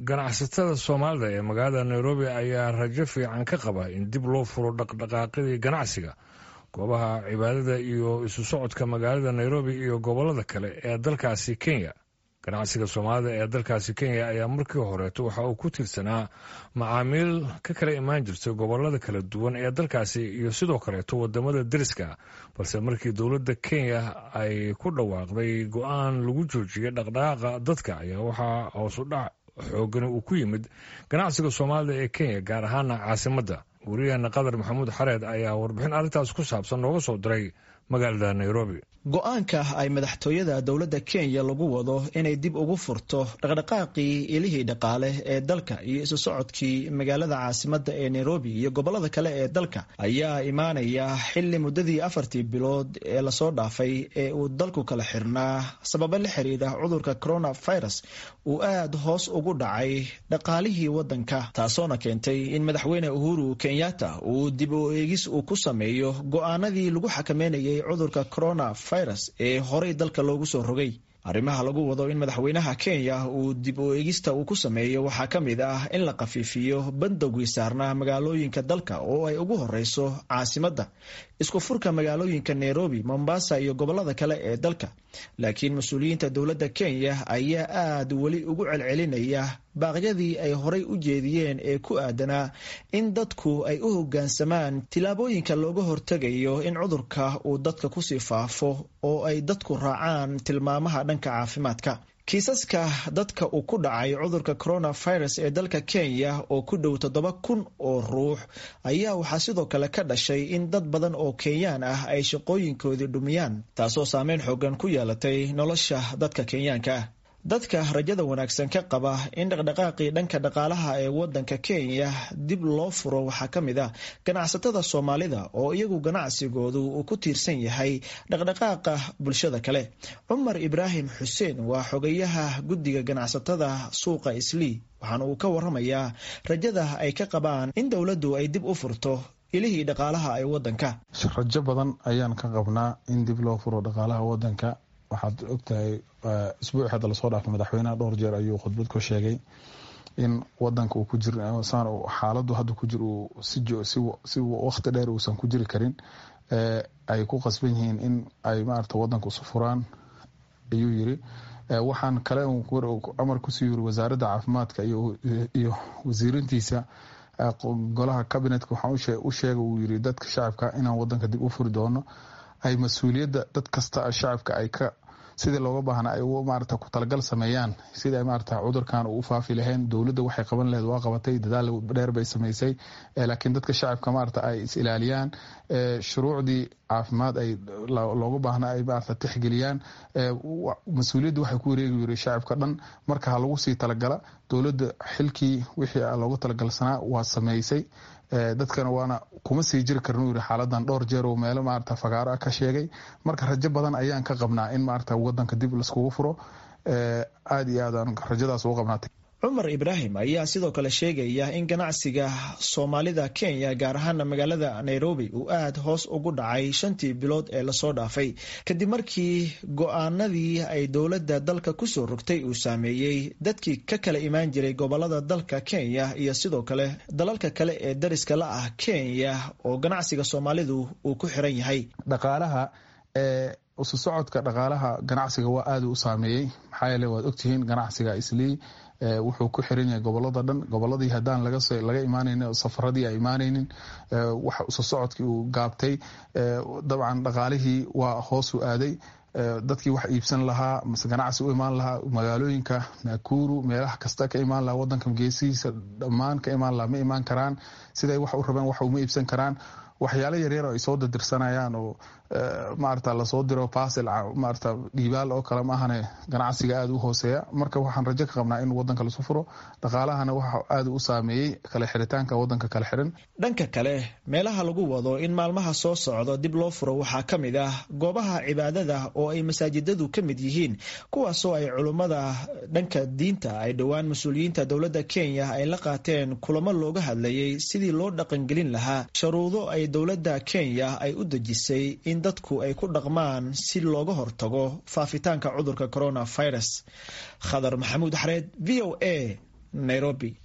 Ganacsatada Soomaalida ee magaalada Nairobi ayaa rajo fiican ka qaba in dib loo furo dhaqdhaqaaqyadii ganacsiga, goobaha cibaadada iyo isu socodka magaalada Nairobi iyo gobollada kale ee dalkaasi Kenya. Ganacsiga Soomaalida ee dalkaasi Kenya ayaa markii horeeto waxa uu ku tiirsanaa macaamiil ka kala imaan jirtay gobollada kala duwan ee dalkaasi iyo sidoo kaleeto wadamada deriska, balse markii dowladda Kenya ay ku dhawaaqday go-aan lagu joojiyay dhaqdhaqaaqa dadka ayaa waxaa hoosu dhac xoogani uu ku yimid ganacsiga Soomaalida ee Kenya, gaar ahaana caasimadda. Wariyaheena Qadar Maxamuud Xareed ayaa warbixin arrintaas ku saabsan nooga soo diray magaalada Nairobi. Go-aanka ay madaxtooyada dowladda Kenya lagu wado inay dib ugu furto dhaqdhaqaaqii ilihii dhaqaale ee dalka iyo isu socodkii magaalada caasimadda ee Nairobi iyo gobollada kale ee dalka ayaa imaanaya xilli muddadii 4tii bilood ee lasoo dhaafay ee uu dalku kala xirnaa sababo la xiriira cudurka coronavirus uu aad hoos ugu dhacay dhaqaalihii waddanka, taasoona keentay in madaxweyne Uhuru Kenyatta uu dib u eegis uu ku sameeyo go-aanadii lagu xakameynayay cudurka corona virus ee horey dalka loogu soo rogay. Arrimaha lagu wado in madaxweynaha Kenya uu dib u eegista uu ku sameeyo waxaa ka mid ah in la khafiifiyo bandowgii saarnaa magaalooyinka dalka oo ay ugu horeyso caasimadda, isku furka magaalooyinka Nairobi, Mombasa iyo gobollada kale ee dalka. Laakiin mas-uuliyiinta dowladda Kenya ayaa aad weli ugu celcelinaya baaqyadii ay horay u jeediyeen ee ku aadanaa in dadku ay u hoggaansamaan tillaabooyinka looga hortegayo in cudurka uu dadka kusii faafo oo ay dadku raacaan tilmaamaha dhanka caafimaadka. Kiisaska dadka uu ku dhacay cudurka coronavirus ee dalka Kenya oo ku dhow 7,000 oo ruux ayaa waxaa sidoo kale ka dhashay in dad badan oo Kenyaan ah ay shaqooyinkoodii dhumiyaan, taasoo saameyn xoogan ku yeelatay nolosha dadka Kenyaanka ah. Dadka rajada wanaagsan ka qaba in dhaqdhaqaaqii dhanka dhaqaalaha ee wadanka Kenya dib loo furo waxaa ka mid ah ganacsatada Soomaalida oo iyagu ganacsigoodu uu ku tiirsan yahay dhaqdhaqaaqa bulshada kale. Cumar Ibraahim Xuseen waa xogayaha guddiga ganacsatada suuqa Islii, waxaana uu ka waramayaa rajada ay ka qabaan in dowladdu ay dib u furto ilihii dhaqaalaha ee wadanka. Rajo badan ayaan ka qabnaa in dib loo furo dhaqaalaha wadanka. Waxaad ogtahay isbuuci hadda lasoo dhaafay madaxweynaha dhowr jeer ayuu khudbad ku sheegay in wadanka uu ku jir saan xaaladu hadda ku jir uu si waqti dheer uusan ku jiri karin, ay ku qasban yihiin in ay maarata wadanka isu furaan ayuu yiri. Waxaan kale amar kusii yiri wasaaradda caafimaadka iyo wasiirintiisa golaha cabinetka, waxaan u sheegay uu yiri dadka shacabka inaan wadanka dib u furi doono, ay mas-uuliyadda dad kasta shacabka ay ka sidii looga baahna ay maarata ku talagal sameeyaan sidii ay maarata cudurkan uu u faafi lahayn. Dowladda waxay qaban lahayd waa qabatay, dadaal dheer bay samaysay, laakiin dadka shacabka maarata ay is ilaaliyaan, shuruucdii caafimaad ay looga baahna ay maarata tixgeliyaan. Mas-uuliyadda waxay ku wareegi yiri shacabka dhan, marka ha lagu sii talagala. Dowladda xilkii wixii looga talagalsanaa waa samaysay, dadkana waana kuma sii jiri karnu yiri xaaladan dhowr jeer oo meelo maarata fagaaro ah ka sheegay. Marka rajo badan ayaan ka qabnaa in maarata wadanka dib laiskugu furo, aada iyo aad aan rajadaas ugu qabnaatay. Cumar Ibraahim ayaa sidoo kale sheegaya in ganacsiga Soomaalida Kenya, gaar ahaana magaalada Nairobi, uu aad hoos ugu dhacay 5tii bilood ee lasoo dhaafay kadib markii go-aanadii ay dowladda dalka kusoo rogtay uu saameeyey dadkii ka kala imaan jiray gobolada dalka Kenya iyo sidoo kale dalalka kale ee dariska la ah Kenya oo ganacsiga Soomaalidu uu ku xiran yahay. Dhaqaalaha isu socodka dhaqaalaha ganacsiga waa aada u saameeyey, maxaa yeele waad ogtihiin ganacsiga Islii wuxuu ku xiran yahay gobolada dhan. Goboladii haddaan laga imaanaynin, safaradii ay imaanaynin, wax isu socodkii uu gaabtay, dabcan dhaqaalihii waa hoosu aaday. Dadkii wax iibsan lahaa mase ganacsi u imaan lahaa magaalooyinka Nakuru, meelaha kasta ka imaan lahaa, wadanka geesihiisa dhammaan ka imaan lahaa, ma imaan karaan siday wax u rabeen, wax uma iibsan karaan. Waxyaalo yaryar oo ay soo dirdirsanayaan oo maarata lasoo diro basel maarata dhiibaal oo kale maahane, ganacsiga aada u hooseeya. Marka waxaan rajo ka qabnaa in wadanka lasu furo, dhaqaalahana waxa aada u saameeyey kala xiritaanka wadanka kala xiran. Dhanka kale, meelaha lagu wado in maalmaha soo socdo dib loo furo waxaa ka mid ah goobaha cibaadada oo ay masaajidadu ka mid yihiin, kuwaasoo ay culummada dhanka diinta ay dhowaan mas-uuliyiinta dowladda Kenya ay la qaateen kulamo looga hadlayay sidii loo dhaqangelin lahaa sharuudo ay dowladda Kenya ay u dejisay in dadku ay ku dhaqmaan si looga hortago faafitaanka cudurka coronavirus. Khadar Maxamuud Xareed, V O A, Nairobi.